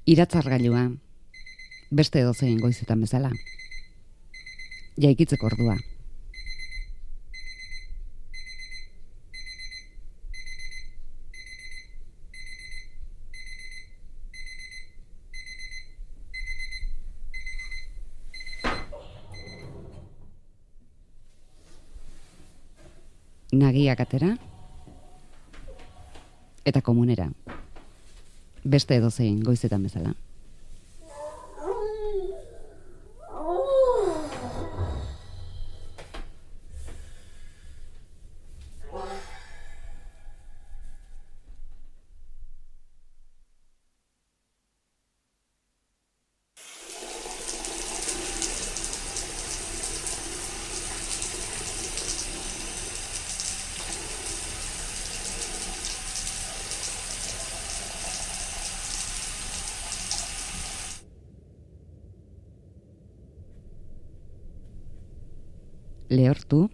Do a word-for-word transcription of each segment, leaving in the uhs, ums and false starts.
Iratzargailua, beste edozein goizetan bezala. Jaikitzeko ordua. Nagiak atera eta komunera. Beste edozein goizetan bezala. Lehortu,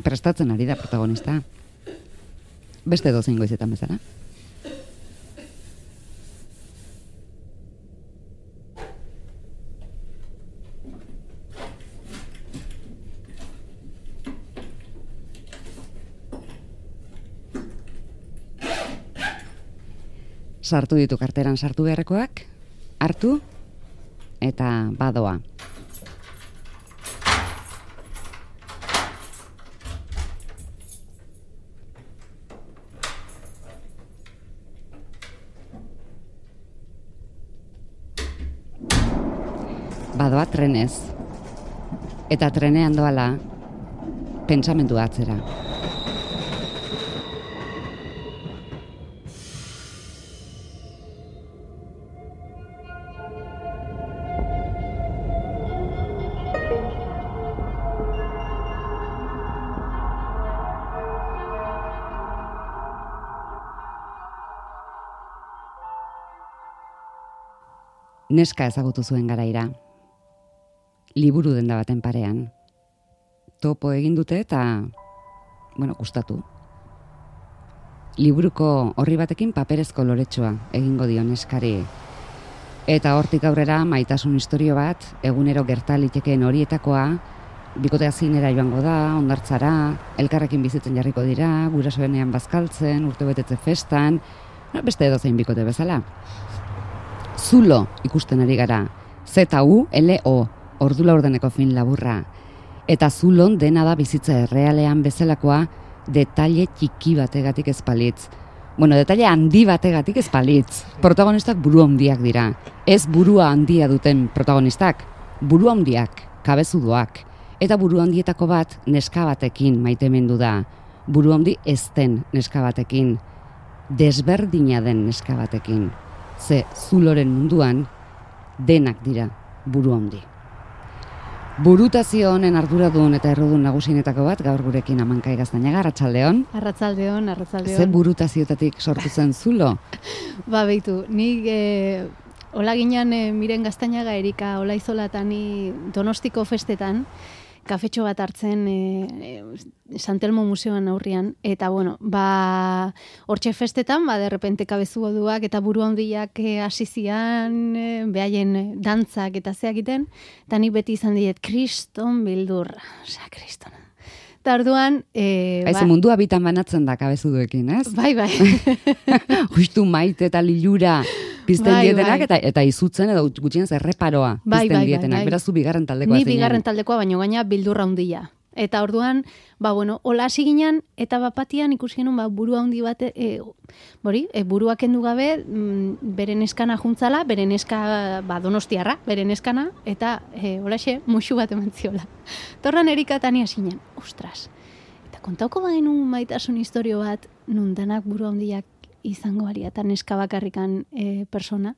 prestatzen ari da protagonista. Beste dozein goizetan bezala. Sartu ditu karteran sartu beharrekoak, hartu, eta badoa. Badoa trenez. Eta trenean doala pentsamendu atzera. Neska ezagutu zuen garaira. Liburu denda baten parean. Topo egin dute eta, bueno, gustatu. Liburuko horri batekin paperezko loretsua egingo dio neskari. Eta hortik aurrera maitasun istorio bat, egunero gerta litekeen horietakoa, bikotea zinera joango da, hondartzara, elkarrekin bizitzen jarriko dira, gurasoenean bazkaltzen, urtebetetze festan, beste edozein bikote bezala. Zulo ikusten ari gara, Z U L O, ordu laurdeneko fin laburra. Eta zulon dena da bizitza errealean bezalakoa detaile txiki bategatik ezpalitz. Bueno, detaile handi bategatik ezpalitz. Protagonistak buru handiak dira. Ez burua handia duten protagonistak, buru handiak, kabezudoak. Eta buru handietako bat neska batekin maitemendu da. Buru handi ez den neska batekin. Desberdina den neska batekin. Ze zuloren munduan denak dira buru handi. Burutazio honen arduradun eta errudun nagusienetako bat gaur gurekin Amankai Gaztañaga, arratsaldeon. Arratsaldeon, arratsaldeon. Ze burutazioetatik sortu zen zulo? Ba, beitu, nik e, hola ginean e, Miren Gaztañaga Erika Olaizola eta ni Donostiko festetan, kafetxo bat hartzen e, e, Santelmo museoan aurrian, eta bueno, ba, hortxe festetan, ba, derrepente kabezuoduak eta buru handiak hasi zian, e, behaien dantzak eta zeak egiten, eta nik beti izan diet, kriston bildur, osea, kristona. Eta orduan... E, ba, mundua bitan banatzen da kabezuduekin, ez? Bai, bai. Justu maite eta lilura pizten bai, dietenak, bai. eta, eta izutzen edo gutxienez erreparoa bai, pizten bai, dietenak. Bai, bai. Beraz, zu bigarren taldekoa Ni zinen. bigarren taldekoa, baino gaina bildurra handia. Eta orduan, ba, bueno, hola hasi ginen, eta bapatian ikusi genuen, ba, buru handi bate, e, bori, e, buruak kendu gabe, mm, beren eskana juntzala, beren eska, ba, donostiarra, beren eskana, eta e, holaxe, musu bat eman ziola. Torran Erika eta ni hasi ginen, ostras. Eta kontauko bagenu maitasun historio bat, nun danak buru handiak izango ari, eta neska bakarrikan e, persona.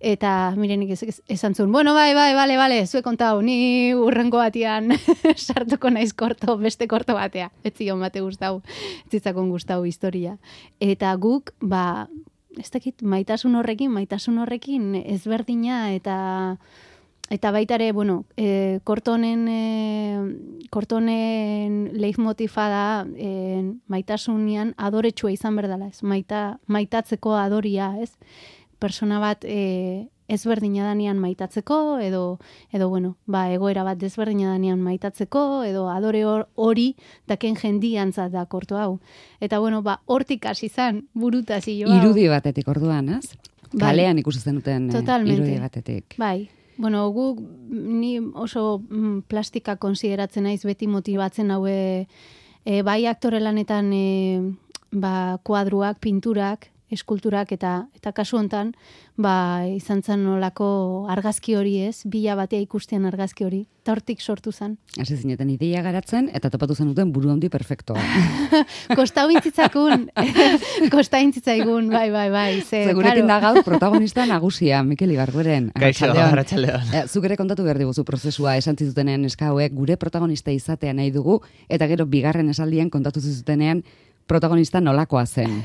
Eta mirenik ez, ez, esan zuen, bueno, bai, bai, bale, bale, zue kontau, ni urrengo batean sartuko naiz korto, beste korto batea. Ez zion bate gustau, ez zitzakon gustau historia. Eta guk, ba, ez dakit, maitasun horrekin, maitasun horrekin ezberdina eta eta baita ere, bueno, e, kortonen, e, kortonen leitmotifa da e, maitasunian adoretsua izan berdala, ez? Maita, maitatzeko adoria, ez? Persona bat e, ezberdina danean maitatzeko, edo, edo bueno, ba, egoera bat desberdina danean maitatzeko, edo adore hori daken jendiantzat da korto hau. Eta bueno, ba, hortik hasi izan burutazio hau. Irudi batetik orduan, ez? Bai. Kalean ikusi zenuten irudi batetik. Bai. Bueno, guk ni oso mm, plastika konsideratzen naiz beti motibatzen haue e, bai aktore lanetan e, ba, kuadruak, pinturak, eskulturak eta eta kasu hontan ba izan zen nolako argazki hori, ez? Bila batea ikustean argazki hori. Ta hortik sortu zen. Hasi zineten ideia garatzen eta topatu zenuten buru handi perfektoa. Kostau intzitzakun. Kostau intzitzaigun, bai, bai, bai. Ze, Segurekin da gaur protagonista nagusia, Mikel Ibarguren. Kaixo, arratsaldeon. Eh, zuk ere kontatu behar diguzu prozesua, esan zitutenean eska hauek gure protagonista izatea nahi dugu, eta gero bigarren esaldian kontatu zitutenean protagonista nolakoa zen.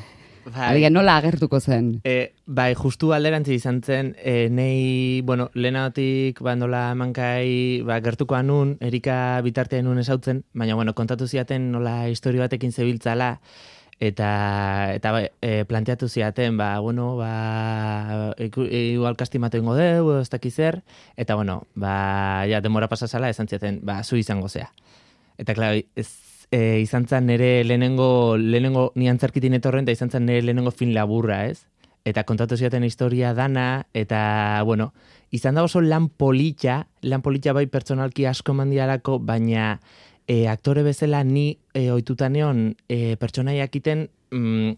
Bai. Alegia, nola agertuko zen? E, bai, justu alderantzi izan zen, e, nei, bueno, lehenatik, ba, nola emankai, ba, gertuko anun, Erika bitartean nun esautzen, baina, bueno, kontatu ziaten nola historio batekin zebiltzala, eta, eta ba, e, planteatu ziaten, ba, bueno, ba, igual kastimatu ingo deu, ez dakiz zer, eta, bueno, ba, ja, demora pasazala, esan ziaten, ba, zu izango zea. Eta, klar, ez, E, izan zen nire lehenengo, lehenengo ni antzerkitin etorren, eta izan zen nire lehenengo film laburra, ez? Eta kontatu ziaten historia dana, eta, bueno, izan da oso lan politxa, lan politxa bai pertsonalki asko mandialako, baina e, aktore bezala ni e, oitutaneon e, pertsonaiak iten, mm,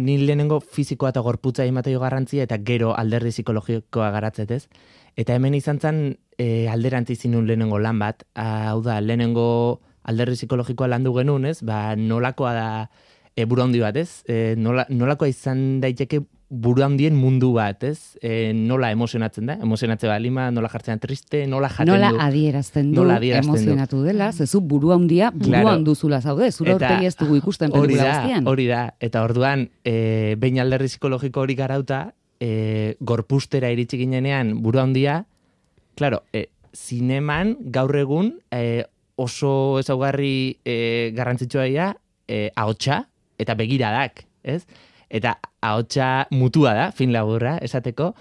ni lehenengo fizikoa eta gorputza emateio garrantzia, eta gero alderdi psikologikoa garatzet, ez? Eta hemen izan zen e, alderantzi zinun lehenengo lan bat, hau da, lehenengo alderri psikologikoa landu genuen, ez? Ba, nolakoa da e, buru handi bat, ez? E, nola, nolakoa izan daiteke buru handien mundu bat, ez? E, nola emozionatzen da? Emozionatzen bat lima, nola jartzen triste, nola jaten nola du. Adierazten du, nola adierazten emozionatu du. Dela, zezu buru handia, buru claro. handuzula zaude, zure aurpegi ez dugu ikusten pelikula guztian. Hori da, eta orduan, e, behin alderri psikologiko hori garauta, e, gorpustera iritsi ginenean buru handia, claro, e, zineman gaur egun, e, oso ezaugarri e, garrantzitsua dira, e, ahotsa eta begiradak, ez? Eta ahotsa mutua da, fin laburra, esateko,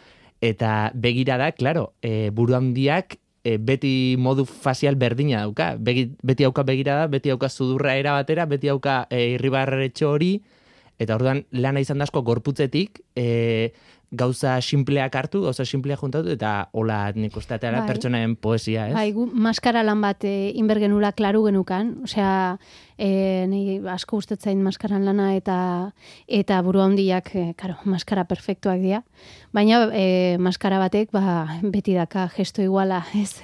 eta begiradak, claro, e, buru handiak e, beti modu facial berdina dauka. Begi, beti hauka begirada, beti hauka sudurra era batera, beti hauka e, irribarretxo hori, eta orduan lana izan dasko gorputzetik, e, gauza simpleak hartu, gauza simpleak juntatu, eta hola nik usteatela bai. Pertsonaen poesia, ez? Bai, gu maskara lan bat e, inbergenula klaru genukan, osea, e, nahi asko ustetzain maskaran lana eta eta buru handiak, e, karo, maskara perfektuak dira, baina e, maskara batek, ba, beti daka gesto iguala, ez?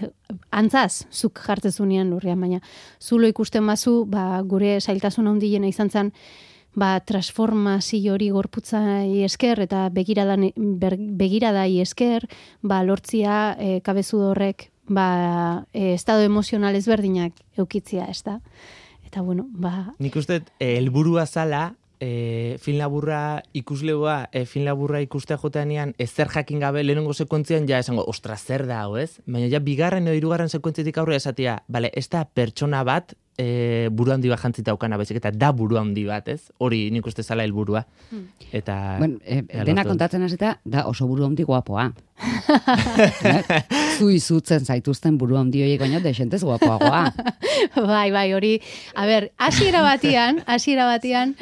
Antzaz, zuk jartzezunean lurrian, baina zulo ikusten bazu, ba, gure zailtasun handiena izan zen, ba, transformazio hori gorputzai esker eta begiradan, ber, begiradai esker, ba, lortzia e, kabezu horrek ba, e, estado emozional ezberdinak eukitzia, ez da? Eta, bueno, ba... Nik uste, helburua zala, e, film laburra ikuslegoa, e, film laburra ikustea joteanean, ezer jakin gabe lehenengo sekuentzian, ja esango, ostra, zer da, hau, ez? Baina ja, bigarren edo hirugarren sekuentzitik aurre esatia, bale, ez da pertsona bat, E, buru handi bat jantzita aukana, baizik eta da buru handi bat, ez? Hori nik uste zala helburua. Hmm. Eta... Bueno, e, dena kontatzen hasita da oso buru handi guapoa. Zu izutzen zaituzten buru handi horiek baino desentez guapoagoa. Bai, bai, hori... A ber, hasiera batian, hasiera batian,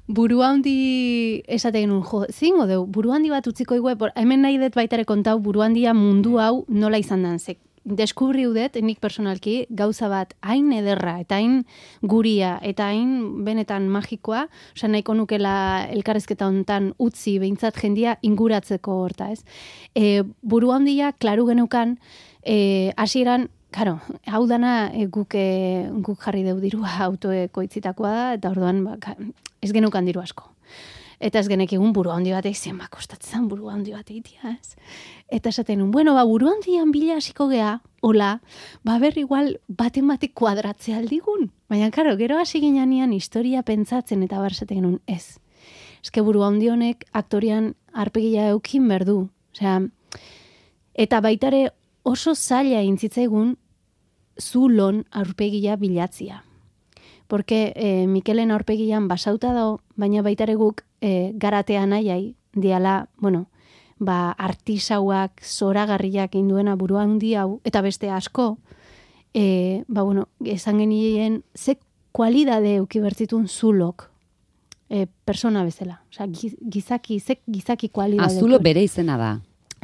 buru handi esaten genuen, jo, zingo deu, buru handi bat utziko igue, hemen nahi dut baitare kontau buru handia mundu hau nola izan dan, zek. Deskubri udet, nik personalki, gauza bat hain ederra, eta hain guria, eta hain benetan magikoa, oza, nahiko nukela elkarrezketa hontan utzi behintzat jendia inguratzeko horta, ez? E, buru handia, klaru genukan, e, hasieran, karo, hau dana e, guk, e, guk jarri deu dirua autoeko itzitakoa da, eta orduan, ba, ez genukan diru asko. Eta ez genek egun buru handi bat egiten, ba, kostatzen buru handi bat egitea, ez? Eta esaten nun, bueno, ba, buru handian bila hasiko gea, hola, ba, berri igual baten batek kuadratzea aldigun. Baina, karo, gero hasi ginean historia pentsatzen eta bar esaten nun, ez. Eske buru handi honek aktorian arpegia eukin berdu. Osea, eta baitare oso zaila intzitzaigun zulon aurpegia bilatzia. Porque eh, Mikelen aurpegian basauta dago, baina baitare guk eh, garatea nahiai, diala, bueno, ba, artisauak, zoragarriak induena burua handi hau, eta beste asko, e, ba, bueno, esan genien, ze kualidade eukibertzitun zulok e, persona bezala. Osa, gizaki, ze gizaki kualidade. Ah, zulo bere izena da.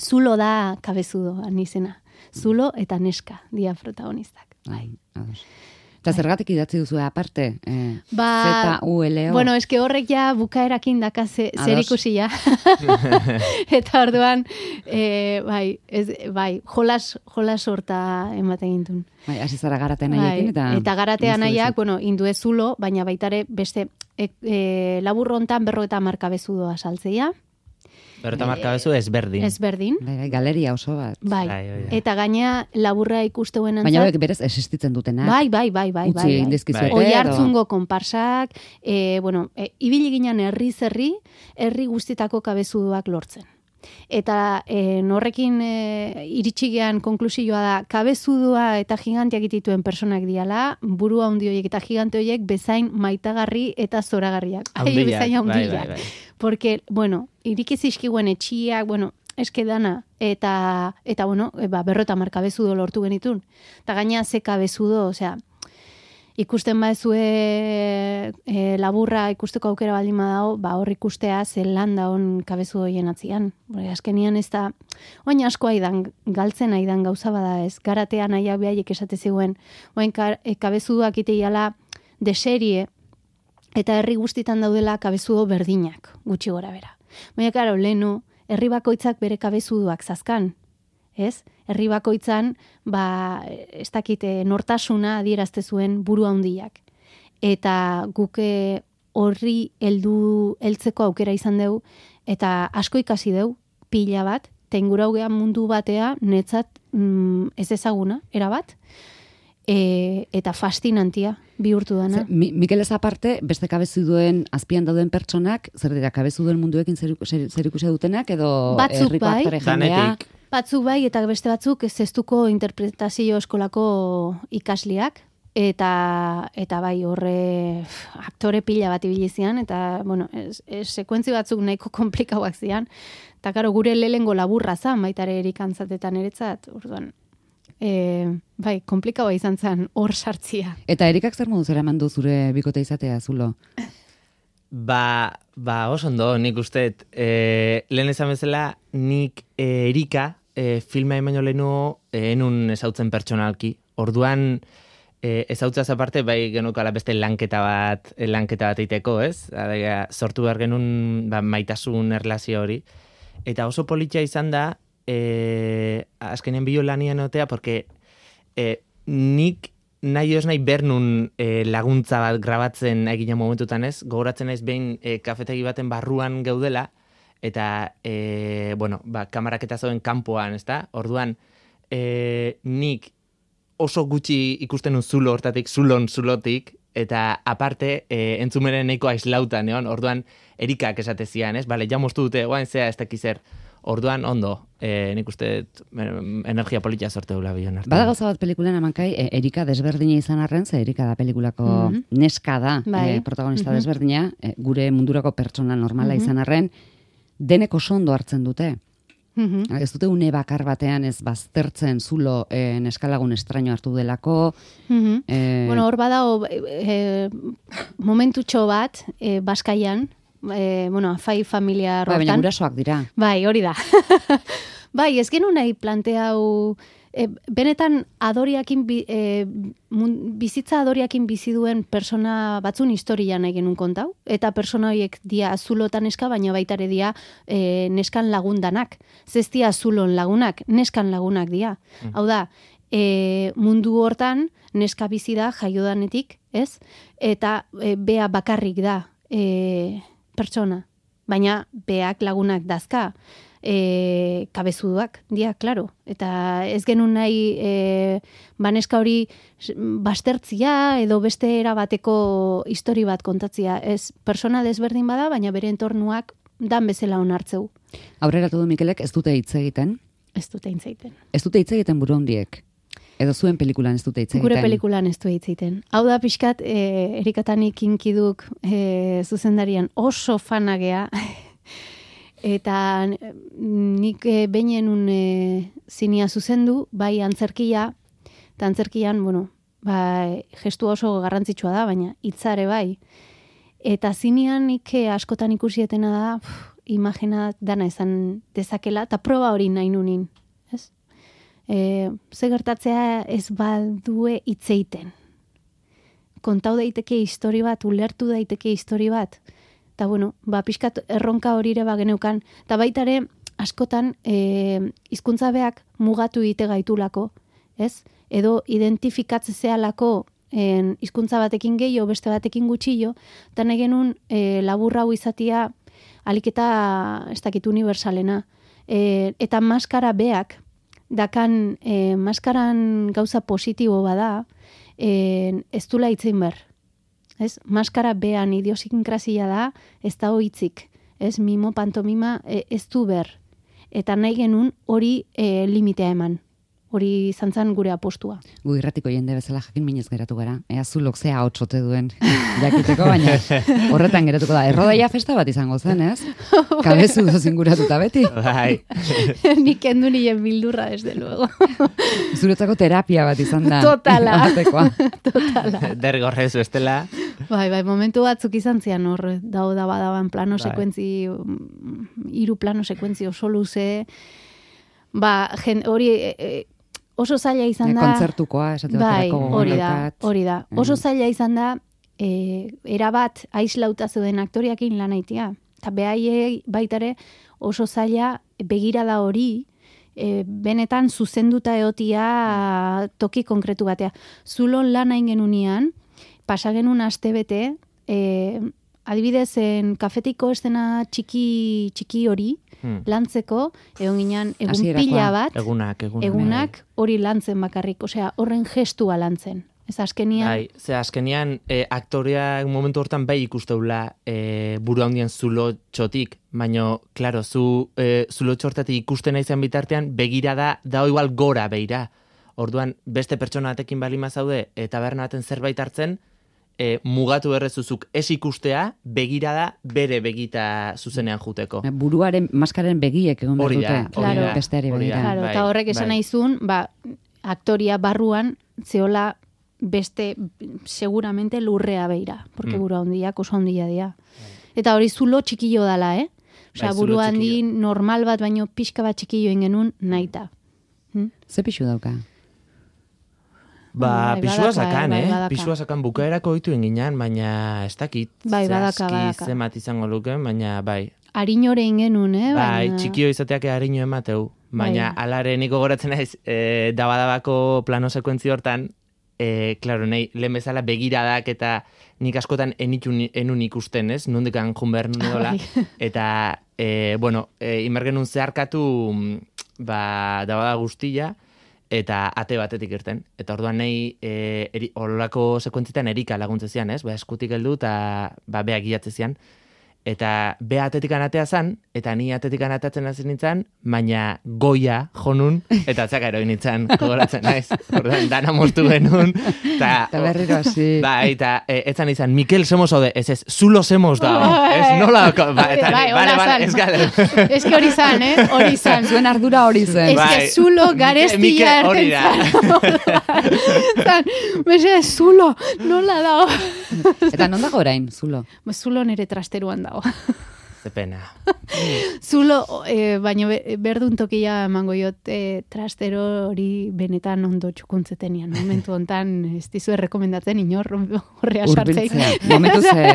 Zulo da kabezudo, anizena. Zulo eta neska, dia protagonistak. Bai. Eta zergatik idatzi duzu aparte? Eh, ba, Z U L O? Bueno, eske horrek ja bukaerakin daka ze, zer ikusi ja. Eta orduan, e, bai, ez, bai, jolas, jolas horta ematen gintun. Bai, hasi zara garatea nahiakin. Eta, eta garatea nahiak, bueno, indue zulo, baina baitare beste e, e, laburrontan berro eta marka bezudoa saltzeia. Berrota marka bezu ezberdin. Ezberdin. Bai, bai, galeria oso bat. Bai, bai, bai. eta gaina laburra ikusteuen antzat. Baina horiek berez existitzen dutenak. Bai, bai, bai, bai. Utzi egin dizkizuete. Oi hartzungo konparsak, e, bueno, e, ibili ginen herri zerri, herri guztitako kabezuduak lortzen. Eta e, norrekin e, iritsigean konklusioa da, kabezudua eta giganteak dituen personak diala, burua handi horiek eta gigante horiek bezain maitagarri eta zoragarriak. Ai, bezain handiak. Bai, bai, bai. Porque, bueno, irikizizkiguen etxiak, bueno, eske dana, eta, eta bueno, ba, berrota marka bezudo lortu genitun. Eta gaina ze kabezudo, osea, ikusten baezue e, laburra ikusteko aukera baldin badao, ba hor ikustea ze landa on kabezu hoien atzian. Porque azkenian ez da, oin asko aidan, galtzen aidan gauza bada ez, garatean nahiak behaiek esate ziguen, oin e, kabezuduak iteiala de serie, eta herri guztitan daudela kabezudo berdinak, gutxi gora bera. Baina, karo, lehenu, herri bakoitzak bere kabezuduak zazkan, ez? Herri bakoitzan, ba, ez dakite, nortasuna adierazte zuen buru handiak. Eta guke horri heldu heltzeko aukera izan deu, eta asko ikasi deu, pila bat, eta inguraugean mundu batea, netzat mm, ez ezaguna, erabat, e, eta fascinantia bihurtu dana. Zer, Mi, Mikelez aparte, beste kabezuduen azpian dauden pertsonak, zer dira, kabezuduen munduekin zer, zer, zer ikusia dutenak, edo batzuk herriko bai, aktore jendea? Batzuk bai, eta beste batzuk ez zeztuko interpretazio eskolako ikasliak, eta eta bai horre aktore pila bat ibili zian, eta bueno, ez, ez, sekuentzi batzuk nahiko komplikauak zian, eta karo, gure lehengo laburra zan, baitare erikantzatetan eretzat, orduan, e, bai, komplikaua izan zen hor sartzia. Eta Erikak zer modu zera mandu zure bikote izatea, zulo? Ba, ba, oso ondo, nik usteet, e, lehen esan bezala, nik e, Erika e, filma emaino lehenu e, enun ezautzen pertsonalki. Orduan, e, ezautzaz aparte, bai genukala beste lanketa bat, lanketa bat eiteko, ez? Adega, sortu behar genuen ba, maitasun erlazio hori. Eta oso politxa izan da, e, azkenen bilo lanian otea, porque e, nik nahi ez nahi bernun e, laguntza bat grabatzen egina momentutan ez, gogoratzen naiz behin e, kafetegi baten barruan geudela, eta, e, bueno, ba, kamarak eta zoen kanpoan, ez da? Orduan, e, nik oso gutxi ikusten un zulo hortatik, zulon zulotik, eta aparte, e, entzumeren nahiko aislautan, egon? Orduan, Erikak esate zian, ez? Bale, ja moztu dute, guain zea ez dakizer. Orduan, ondo, e, nik uste energia politia sorte dula bion arte. Bada gauza bat pelikulan amankai, e, Erika desberdina izan arren, ze Erika da pelikulako mm-hmm. neska da, bai. e, protagonista mm-hmm. desberdina, e, gure mundurako pertsona normala mm-hmm. izan arren, denek oso ondo hartzen dute. Mm-hmm. Ez dute une bakar batean ez baztertzen zulo e, neskalagun estraño hartu delako. Mm-hmm. e, bueno, hor badao e, momentutxo bat, e, Baskaian, E, bueno, afai familia hortan. Bai, baina gurasoak dira. Bai, hori da. Bai, ez genu nahi planteau, e, benetan adoriakin, bi, e, mun, bizitza adoriakin bizi duen persona batzun historia nahi genuen kontau, eta persona horiek dia azulotan neska, baina baitare dia e, neskan lagundanak. Zestia azulon lagunak, neskan lagunak dia. Mm. Hau da, e, mundu hortan neska bizi da jaiodanetik, ez? Eta e, bea bakarrik da, e, pertsona, baina beak lagunak dazka, e, kabezuduak, dia, klaro. Eta ez genuen nahi e, baneska hori bastertzia edo beste erabateko histori bat kontatzia. Ez persona desberdin bada, baina bere entornuak dan bezala onartzeu. Aurreratu du Mikelek ez dute hitz egiten, Ez dute hitz egiten. Ez dute hitz egiten buru handiek. Edo zuen pelikulan ez dute hitz egiten. Gure pelikulan ez du hitz egiten. Hau da pixkat, e, erikatanik inkiduk e, zuzendarian oso fanagea. Eta nik e, behinenun e, zinia zuzendu, bai antzerkia, eta antzerkian, bueno, bai, gestu oso garrantzitsua da, baina hitzare bai. Eta zinean nik askotan ikusietena da, pff, imagina dana izan dezakela, eta proba hori nahi nunin, ez? E, ze gertatzea ez badue hitz egiten. Kontau daiteke histori bat, ulertu daiteke histori bat. Eta bueno, ba, pixkat erronka hori ere bageneukan. Eta baita ere, askotan, e, hizkuntza beak mugatu ite gaitulako, ez? Edo identifikatzezealako en, hizkuntza batekin gehiago, beste batekin gutxillo, eta nahi genuen e, laburra hau izatia aliketa, ez dakit, universalena. E, eta maskara beak, dakan e, maskaran gauza positibo bada, e, ez dula hitzein ber. Ez? Maskara bean idiosinkrasia da, ez da hitzik. Ez? Mimo, pantomima, e, ez du ber. Eta nahi genuen hori e, limitea eman. Hori izan zen gure apostua. Gu irratiko jende bezala jakin minez geratu gara. Ea zulok zea hotxote duen jakiteko, baina horretan geratuko da. Errodaia festa bat izango zen, ez? Kabezu doz inguratuta beti. Bai. Nik kendu nien bildurra, desde luego. Zuretzako terapia bat izan da. Totala. Totala. Dergorrez bestela. Bai, bai, momentu batzuk izan zian hor, dao da badaban plano bai. sekuentzi, hiru plano sekuentzi oso luze, ba, jen, hori... E, e, oso zaila izan da... Kontzertukoa, esate bai, baterako hori da, hori da. Oso Mm. zaila izan da, e, erabat aislauta zeuden aktoriakin lan aitea. Eta behaiei baitare oso zaila begirada hori, e, benetan zuzenduta eotia toki konkretu batea. Zulon lan hain genunean, pasagenun aste bete, e, adibidez, en kafetiko estena txiki, txiki hori, Hmm. lantzeko, egon ginen egun Hasierakoa. pila bat, Egunak, egunak. egunak hori lantzen bakarrik, osea, horren gestua lantzen. Ez azkenian... Bai, ze azkenian e, aktoreak momentu hortan bai ikusteula e, buru handien zulo txotik, baina, klaro, zu e, zulo txortatik ikusten naizan bitartean, begirada da igual gora beira. Orduan, beste pertsona batekin balima zaude, eta berna baten zerbait hartzen, E, mugatu errezuzuk ez ikustea, begirada bere begita zuzenean juteko. Buruaren, maskaren begiek egon behar Hori da, dute. hori da, Besteari hori da. begira. Claro, bai, eta horrek esan bai. nahizun, ba, aktoria barruan zeola beste seguramente lurrea beira, porque Mm. buru handiak oso handia dira. Eta hori zulo txikillo dala, eh? Osea, Bai, zulo buru handi txikillo. normal bat, baino pixka bat txikillo ingenun naita. Hm? Ze pixu dauka? Ba, Bai, pisua badaka, sakan, bai, eh? badaka. Pisua sakan bukaerako oitu inginan, baina ez dakit. Bai, badaka, zehazki badaka. zemat izango luke, baina bai. Harinore ingenun, eh? Bai, baina- txikio izateak harino emateu. Baina Bai. alare niko goratzen naiz, e, dabadabako plano sekuentzi hortan, e, klaro, nahi, lehen bezala begiradak eta nik askotan enitun, enun ikusten, ez? Nundikan jun behar nun edola. Bai. Eta, e, bueno, e, imergenun zeharkatu, mm, ba, dabada guztia, eta ate batetik irten. Eta orduan nahi, e, eri, olako sekuentzitan erika laguntze zian, ez? Ba, eskutik heldu eta ba, beak gilatze zian. Eta be atetikan atea zan, eta ni atetikan atatzen hasi nintzen, baina goia jonun, eta atzaka eroin nintzen, gogoratzen naiz. Orduan, dana moztu genuen. Ta, Eta berriro hasi. Bai, eta e, etzan izan, Mikel semos ode, ez ez, zulo semos da. Bai. Ez nola, dako, ba, eta, Bai, bale, hola bale, zan. ez gale. Ez que hori zan, eh? Hori zan. Zuen ardura hori zen. Ez Bai. que zulo garestia Mikel, hori da. erten zan. Bese, zulo, nola dago? Eta non dago orain, zulo? Zulo nere trasteruan dago. Ze pena. Zulo, eh, baino be, berdun tokia emango jot eh, trastero hori benetan ondo txukuntzetenian. Momentu hontan ez dizu errekomendatzen inor horrea sartzei. Urbiltzea. Momentu ze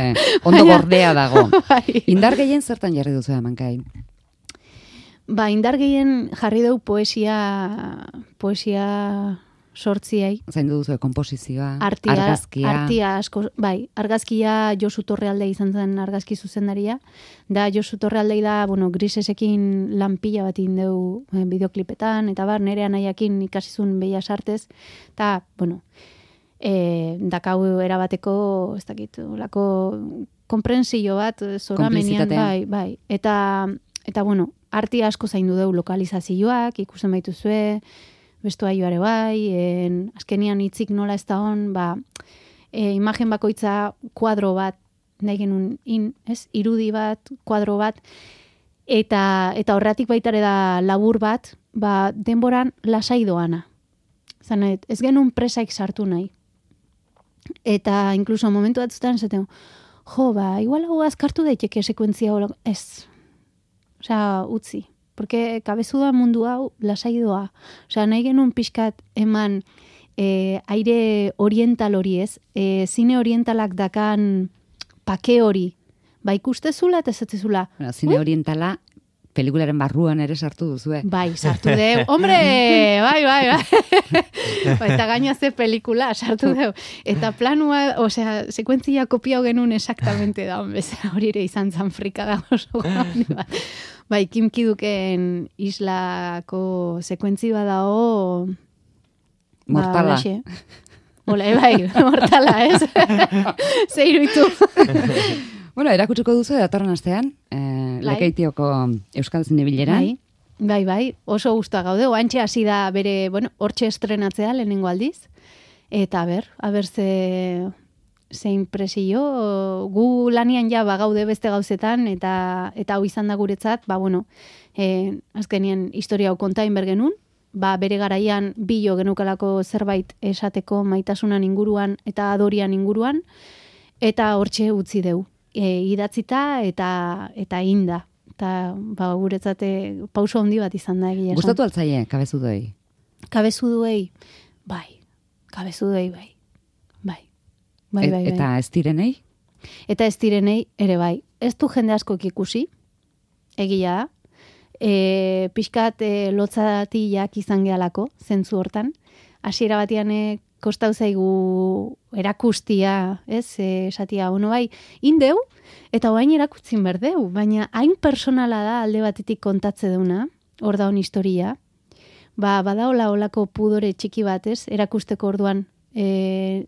ondo Baina- gordea dago. Bai. Indar gehien zertan jarri duzu Amankai? Ba, indar gehien jarri dugu poesia, poesia sortziai. Zaindu duzu komposizioa, Artia, argazkia. artia asko, bai, argazkia Josu Torrealde izan zen argazki zuzendaria. Da Josu Torrealdei da, bueno, grisesekin lan pila bat indeu eh, bideoklipetan, eta bar, nere anaiakin ikasizun Bellas Artes, eta, bueno, eh, dakau erabateko, ez dakit, olako konprensio bat, zoramenian, Konplizitatea. bai, bai. Eta eta bueno, arti asko zaindu deu lokalizazioak, ikusten baituzue, bestua joare bai, en, azkenian hitzik nola ez da hon, ba, e, imagen bakoitza kuadro bat, nahi genuen in, ez? Irudi bat, kuadro bat, eta, eta horretik baitare da labur bat, ba, denboran lasai doana. Zanet, ez genuen presaik sartu nahi. Eta inkluso momentu batzutan esaten, jo, ba, igual hau azkartu daiteke sekuentzia hola, ez. Osea, utzi. Porque kabezuda mundu hau lasai doa. Osea, nahi genuen pixkat eman e, aire oriental hori ez, e, zine orientalak dakan pake hori, ba ikustezula eta esatzezula. Bueno, zine orientala pelikularen barruan ere sartu duzue. Bai, sartu deu. Hombre, bai, bai, bai. Ba, eta gaina ze pelikula sartu deu. Eta planua, osea, sekuentzia kopiau genuen exactamente da, bezala hori ere izan zan frikada oso gani bat. Bai, Kim Ki-duken islako sekuentzi badao... Mortala. Ba, Ole, bai, mortala, ez? Zeiruitu. Bueno, erakutsiko duzu datorren astean, eh, Lekeitioko Euskal Zinebileran. Bai, bai, bai, oso gustoa gaude. Oantxe hasi da bere, bueno, hortxe estrenatzea lehenengo aldiz. Eta ber, aber ze, ze impresio, gu lanian ja ba gaude beste gauzetan, eta eta hau izan da guretzat, ba bueno, eh, azkenien historia hau kontain bergenun, ba bere garaian bilo genukalako zerbait esateko maitasunan inguruan eta adorian inguruan, eta hortxe utzi deu. E, idatzita eta eta inda. Eta ba, guretzate pauso handi bat izan da egia esan. Gustatu altzaie, kabezudoei? Kabezudoei, bai. Kabezudoei, bai. Bai. Bai, bai, bai. Eta ez direnei? Eta ez direnei, ere bai. Ez du jende askok ikusi, egia da. E, pixkat e, lotzatiak izan gehalako, zentzu hortan. Hasiera batean e, kostau zaigu erakustia, ez, e, esatia, ono bai, indeu, eta oain erakutzin berdeu, baina hain personala da alde batetik kontatze deuna, hor da hon historia, ba, badaola olako pudore txiki batez, erakusteko orduan, e,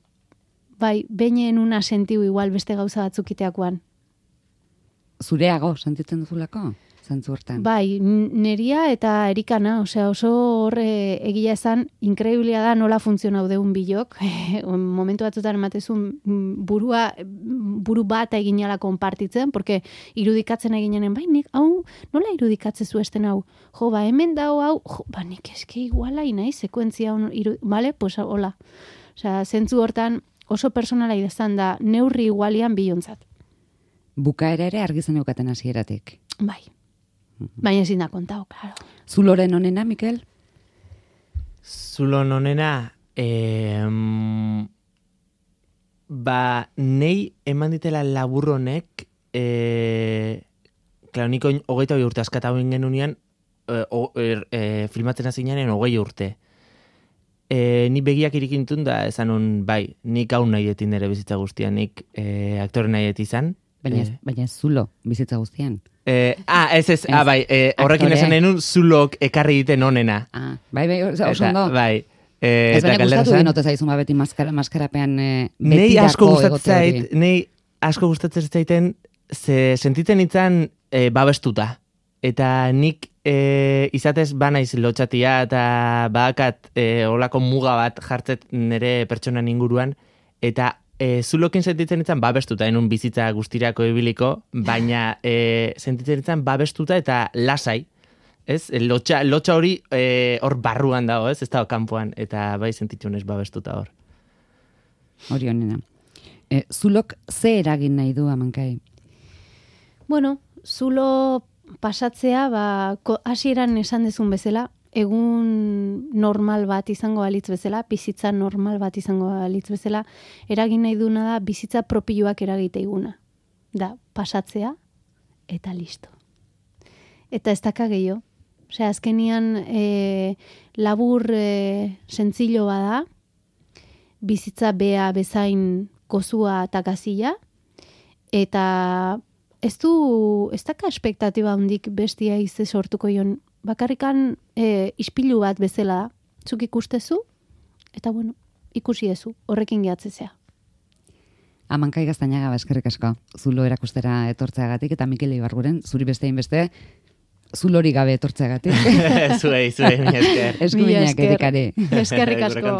bai, beinen una sentiu igual beste gauza batzukiteakoan. Zureago, sentitzen duzulako? Zantzu hortan. Bai, neria eta erikana, osea, oso horre egia esan, inkreiblia da nola funtzionau deun bilok, momentu batzutan ematezun burua, buru bat eginala konpartitzen, porque irudikatzen eginenen, bai, nik, hau, nola irudikatzezu esten hau? Jo, ba, hemen dau hau, jo, ba, nik eske iguala inai, sekuentzia, iru, bale, pues, hola. Osea, zentzu hortan oso personala idazan da, neurri igualian bilontzat. Bukaera ere argizen eukaten hasieratik. Bai. Baina ezin da kontau, claro. Zuloren onena, Mikel? Zulon onena, eh, ba, nei eman ditela labur honek, eh, klaro, niko hogeita hori urte askata hoin genunean, eh, o, er, eh, filmatzen hazinean hogei urte. Eh, ni begiak irikintun da, esan un, bai, nik hau nahi etin ere bizitza guztian, nik eh, aktore nahi etizan. Baina, Eh, baina zulo bizitza guztian. Eh, ah, ez ez, ah, bai, eh, horrekin Aktore. esan denun zulok ekarri egiten onena. Ah, bai, bai, oso Eta, ondo. bai. Eh, Ez eta baina galdera gustatu zen, dinote zaizun ba beti maskara, maskarapean e, Nei asko betirako gustatzen egote hori. zait, nei asko gustatzen zaiten, ze sentitzen itzan e, babestuta. Eta nik e, izatez banaiz lotxatia eta badakat e, olako muga bat jartzet nire pertsonan inguruan, eta e, zulokin sentitzen itzan babestuta, enun bizitza guztirako ibiliko, baina e, sentitzen itzan babestuta eta lasai. Ez? Lotxa, lotxa hori e, hor barruan dago, ez? Ez dago kanpoan, eta bai sentitzen ez babestuta hor. Hori honena. E, zulok ze eragin nahi du amankai? Bueno, zulo pasatzea, ba, ko- hasieran esan dezun bezala, egun normal bat izango balitz bezala, bizitza normal bat izango balitz bezala, eragin nahi duna da bizitza propioak eragite iguna. Da, pasatzea eta listo. Eta ez daka gehiago. Osea, azkenian e, labur e, sentzilo bada, bizitza bea bezain kozua eta gazila, eta ez du, ez daka espektatiba hondik bestia izte sortuko jon, bakarrikan e, ispilu bat bezala da, zuk ikustezu, eta bueno, ikusi ezu, horrekin gehatzezea. Amankai Gaztañaga, eskerrik asko, zulo erakustera etortzeagatik, eta Mikel Ibarguren, zuri bestein beste, zulori gabe etortzeagatik. Zuei, zuei, mi esker. Eskuminak erikare. Eskerrik asko.